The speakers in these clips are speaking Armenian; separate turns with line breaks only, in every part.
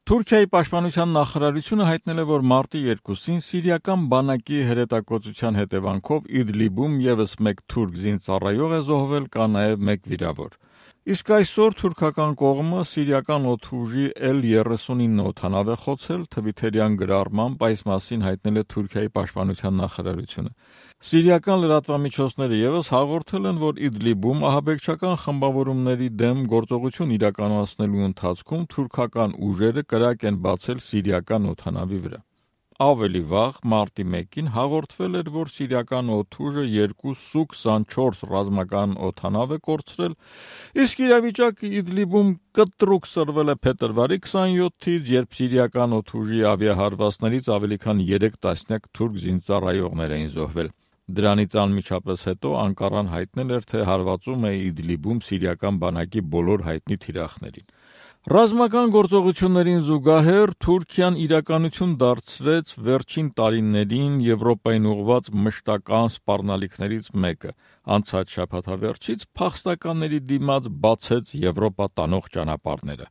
Թուրքիայի պաշտպանության նախարարությունը հայտնել է, որ մարտի 2-ին սիրիական բանակի հրետակոծության հետևանքով Իդլիբում ևս մեկ թուրք զինծառայող է զոհվել, կա նաև մեկ վիրավոր։ Իսկ այսօր թուրքական կողմը սիրիական օդուժի L-39 օդանավ է խոցել, թվիթերյան գրառմամբ այս մասին հայտնել է Թուրքիայի պաշտպանության նախարարությունը։ Սիրիական լրատվամիջոցները ևս հաղորդել են, որ Իդլիբում ահաբեկչական խմբավորումների դեմ գործողություն իրականացնելու ընթացքում թուրքական ուժերը կրակ են բացել սիրիական օդանավի վրա։ Ավելի վաղ, մարտի 1-ին հաղորդվել էր, որ սիրիական օդուժը 2 Սու-24 ռազմական օդանավ է կորցրել, իսկ իրավիճակը Իդլիբում կտրուկ սրվել է փետրվարի 27-ից, երբ սիրիական օդուժի ավիահարվածներից ավելի քան 3 տասնյակ թուրք զինծառայողներ էին զոհվել։ Դրանից անմիջապես հետո Անկարան հայտնել էր, թե հարվածում է Իդլիբում սիրիական բանակի բոլոր հայտնի թիրախներին։ Ռազմական գործողություններին զուգահեռ Թուրքիան իրականություն դարձրեց վերջին տարիներին Եվրոպային ուղղված մշտական սպառնալիքներից մեկը։ Անցած շաբաթավերջից փախստականների դիմաց բացեց Եվրոպա տանող ճանապարհները։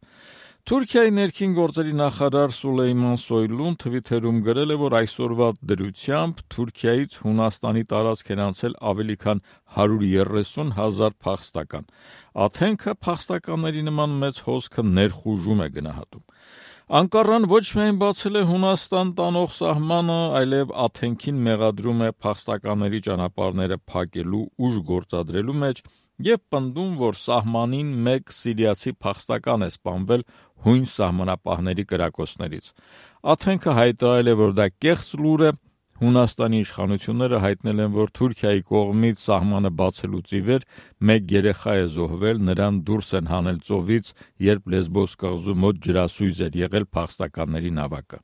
Թուրքիայի ներքին գործերի նախարար Սուլեյման Սոյլուն թվիթերում գրել է, որ այսօրվա դրությամբ Թուրքիայից Հունաստանի տարածք են անցել ավելի քան 130,000 փախստական։ Աթենքը փախստականների նման մեծ հոսքը ներխուժում է գնահատում։ Անկարան ոչ միայն բացել է Հունաստան տանող սահմանը, այլև Աթենքին մեղադրում է փախստականների ճանապարհները փակելու ուժ գործադրելու մեջ և պնդում, որ սահմանին մեկ սիրիացի փախստական է սպանվել հույն սահմանապահների կրակոցներից։ Աթենքը հայտարարել է, որ դա կեղծ լուր է։ Հունաստանի իշխանությունները հայտնել են, որ Թուրքիայի կողմից սահմանը բացելուց ի վեր մեկ երեխա է զոհվել, նրան դուրս են հանել ծովից, երբ Լեսբոս կղզու մոտ ջրասույզ էր եղել փախստականների նավակը։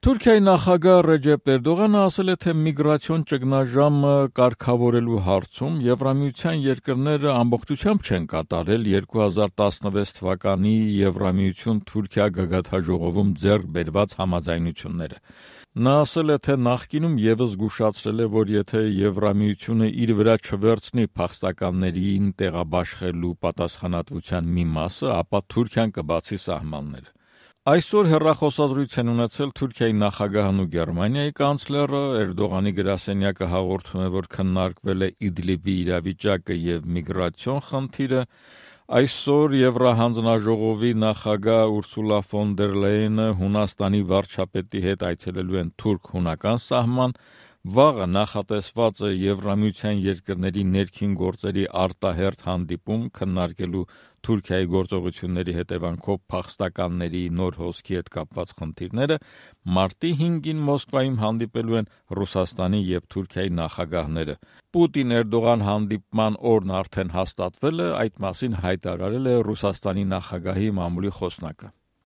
Թուրքիայի նախագահ Ռեջեփ Էրդողանը ասել է, թե միգրացիոն ճգնաժամը կարգավորելու հարցում Եվրամիության երկրները ամբողջությամբ չեն կատարել 2016 թվականի Եվրամիություն-Թուրքիա գագաթնաժողովում ձեռք բերված համաձայնությունները։ Նա ասել է, թե նախկինում ևս զգուշացրել է, որ եթե Եվրամիությունը իր վրա չվերցնի փախստականներին տեղաբաշխելու պատասխանատվության մի մասը, ապա Թուրքիան կբացի սահմանները։ Այսօր հեռախոսազրույց են ունեցել Թուրքիայի նախագահն ու Գերմանիայի կանցլերը։ Էրդողանի գրասենյակը հաղորդում է, որ քննարկվել է Իդլիբի իրավիճակը և միգրացիոն խնդիրը։ Այսօր Եվրահանձնաժողովի նախագահ Ուրսուլա ֆոն դեր Լեյենը Հունաստանի վարչապետի հետ այցելելու են թուրք-հունական սահման։ Վաղը նախատեսված է Եվրամիության երկրների ներքին գործերի արտահերթ հանդիպում քննարկելու Թուրքիայի գործողությունների հետևանքով փախստականների նոր հոսքի հետ կապված խնդիրները։ Մարտի 5-ին Մոսկվայում հանդիպելու են Ռուսաստանի և Թուրքիայի նախագահները։ Պուտին-Էրդողան հանդիպման օրն արդեն հաստատվել է, այդ մասին հայտարարել է Ռուսաստանի նախագահի մամուլի խոսնակը։